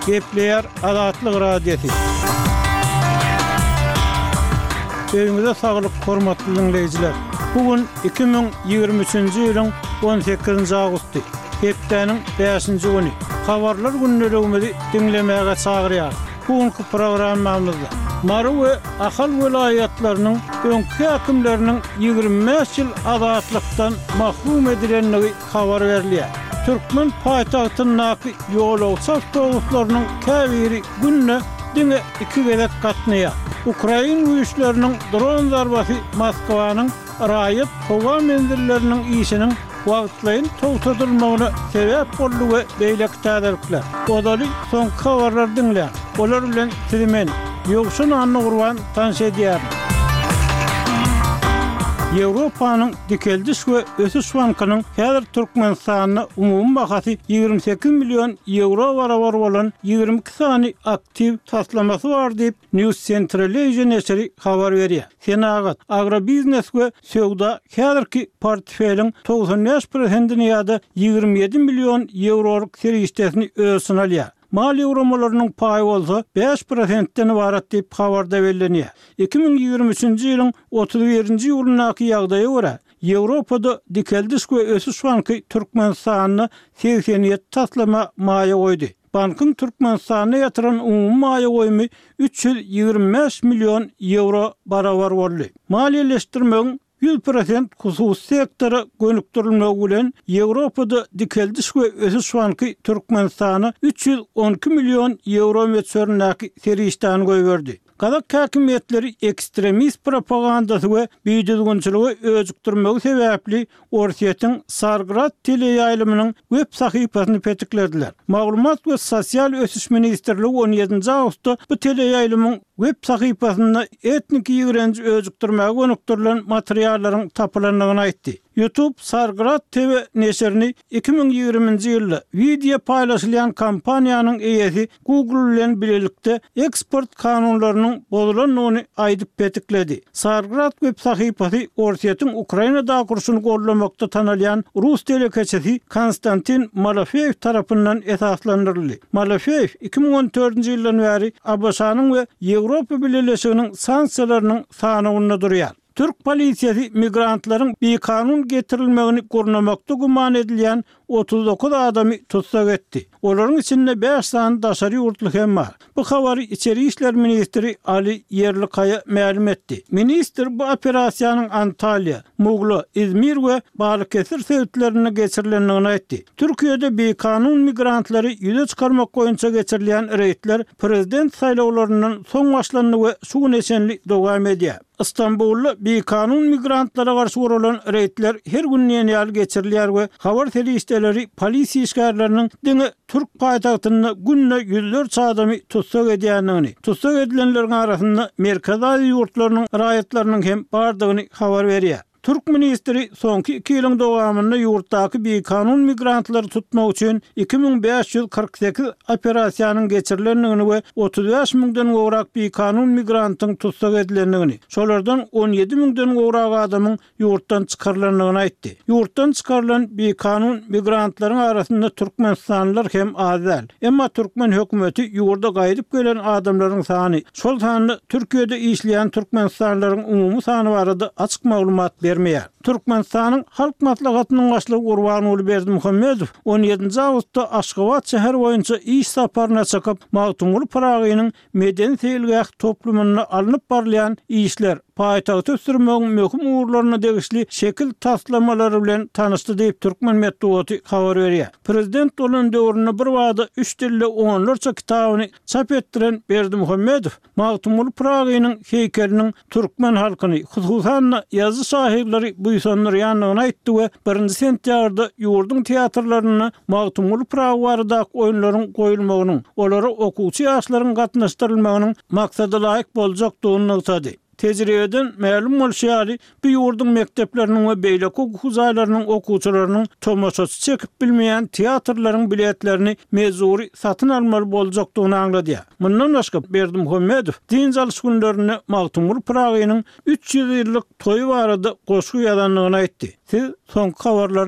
Gepleýär Azatlyk Radiosy. Öýüňize saglyk, hormatly diňleýjiler! Bu gün 2023-nji ýylyň 18-nji awgusty, hepdäniň bäşinji güni. Habarlar gündeligimizi diňlemäge çagyrýarys. Bu günki programmamyzda Mary we Ahal welaýatlarynyň öňki häkimleriniň 25 ýyl azatlykdan mahrum edilendigi habar berilýär. Türkmen paýtagtyndaky ýolagçy awtobuslarynyň käbiri günde diňe iki gezek gatnaýar. Ukrain güýçleriniň dron zarbasy Moskwanyň raýat howa menzilleriniň işiniň wagtlaýyn togtadylmagyna sebäp boldy we beýleki täzelikler. Ozaly soňky habarlary diňläň. Olar bilen sizi men, Ýowşan Annagurban tanyş edýärin. Ýewropanyň Dikeldiş we ösüş bankynyň häzir Türkmenistanda umumy bahasy 28 million ýewro barabar bolan 22 sany aktiw taslamasy bar diýip, News Central Asia neşiri habar berýär. Senagat, agrobiznes we söwda häzirki portfeliň 95 prosentini ýa-da 27 million ýewrolyk serişdesini öz içine alýar. Maliýe guramalarynyň paýy bolsa bäş prosentden ybarat diýip, habarda bellenýär. 2023-nji ýylyň 31-nji iýulyndaky ýagdaýa görä, Ýewropada Dikeldiş we ösüş banky Türkmenistanda 87 taslama maýa goýdy. Bankyň Türkmenistanda ýatyran umumy maýa goýumy 325 million ýewro barabar boldy. Maliýeleşdirmegiň 100% hususy sektora gönükdirilmegi bilen Ýewropada Dikeldiş we ösüş banky Türkmenistana 312 million ýewro möçberindäki serişdäni goýberdi. Gazak häkimiýetleri ekstremist propagandasy we bidüzgünçiligi öjükdirmegi sebäpli Orsýetiň Sargrad teleýaýlymynyň web sahypasyny petiklediler. Maglumat we sosial ösüş ministrligi on ýedinji awgustda bu teleýaýlymyň web sahypasynda etniki ýigrenji öjükdirmäge gönükdirilen materiallaryň tapylandygyny aýtdy. YouTube Sargrad TV neşirini 2020-nji ýylda wideo paýlaşylýan kompaniýanyň eýesi Google bilen bilelikde eksport kanunlarynyň bozulandygyny aýdyp petikledi. Sargrad web sahypasy Orsýetiň Ukrainadaky urşuny goldamakda tanalýan rus telekeçisi Konstantin Malofeýew tarapyndan esaslandyryldy. Malofeýew 2014-nji ýyldan bäri ABŞ-nyň we Ýewropa Bileleşiginiň sanksiýalarynyň sanawynda durýar. Türk polisiýasy migrantlaryň bikanun getirilmegini gurnamakda güman edilýän 39 adamy tussag etdi. Olaryň içinde bäş sany daşary ýurtly hem bar. Bu habary içeri işler ministri Ali Ýerlikaýa mälim etdi. Ministr bu operasiýanyň Antalýa, Mugla, Izmir we Balykesir sebitlerinde geçirilendigini aýtdy. Türkiýede bikanun migrantlary ýüze çykarmak boýunça geçirilýän reýdler prezident saýlawlaryndan soň başlandy we şu güne çenli dowam edýär. Stambulda bikanun migrantlara garşy guralan reýdler her gün diýen ýaly geçirilýär we habar serişdeleri polisiýa işgärleriniň diňe türk paýtagtynda günde ýüzlerçe adamy tussag edýändigini, tussag edilenleriň arasynda Merkezi Aziýa ýurtlarynyň raýatlarynyň hem bardygyny habar berýär. Türk ministri soňky iki ýylyň dowamynda ýurtdaky bikanun migrantlary tutmak üçin 2548 operasiýanyň geçirilendigini we 35 müňden gowrak bikanun migrantyň tussag edilendigini, şolardan 17 müňden gowrak adamyň ýurtdan çykarylandygyny aýtdy. Ýurtdan çykarylan bikanun migrantlaryň arasynda türkmenistanlylar hem az däl. Emma türkmen hökümeti ýurda gaýdyp gelen adamlaryň sany, şol sanda Türkiýede işleýän türkmenistanlylaryň umumy sany barada açyk maglumat bermeýär. Türkmenistanyň Halk Maslahatynyň Başlygy Gurbanguly Berdimuhamedow on ýedinji awgustda Aşgabat şäheri boýunça iş saparyna çykyp, Magtymguly Pyragynyň medeni-seýilgäh toplumynda alnyp barylýan işler, paýtagty ösdürmegiň möhüm ugurlaryna degişli şekil taslamalary bilen tanyşdy diýip, türkmen metbugaty habar berýär. Prezident bolan döwründe birbada üç dilde onlarça kitabyny çap etdiren Berdimuhamedow Magtymguly Pyragynyň heýkeliniň türkmen halkyny, hususan-da, ýazyjy-şahyrlary buýsandyrýandygyny aýtdy we birinji sentýabrda ýurduň teatrlarynda Magtymguly Pyragy baradaky oýunlaryň goýulmagynyň, olara okuwçy ýaşlaryň gatnaşdyrylmagynyň maksadalaýyk boljakdygyny nygtady. Tejribeden mälim bolşy ýaly, bu ýurduň mekdepleriniň we beýleki okuw jaýlarynyň okuwçylarynyň tomaşaçy çekip bilmeýän teatrlaryň biletlerini mejbury satyn almaly boljakdygyny aňladýar. Mundan başga, Berdimuhamedow dynç alyş günlerinde Magtymguly Pyragynyň 300 ýyllyk toýy barada goşgy ýazandygyny aýtdy. Siz soňky habarlary.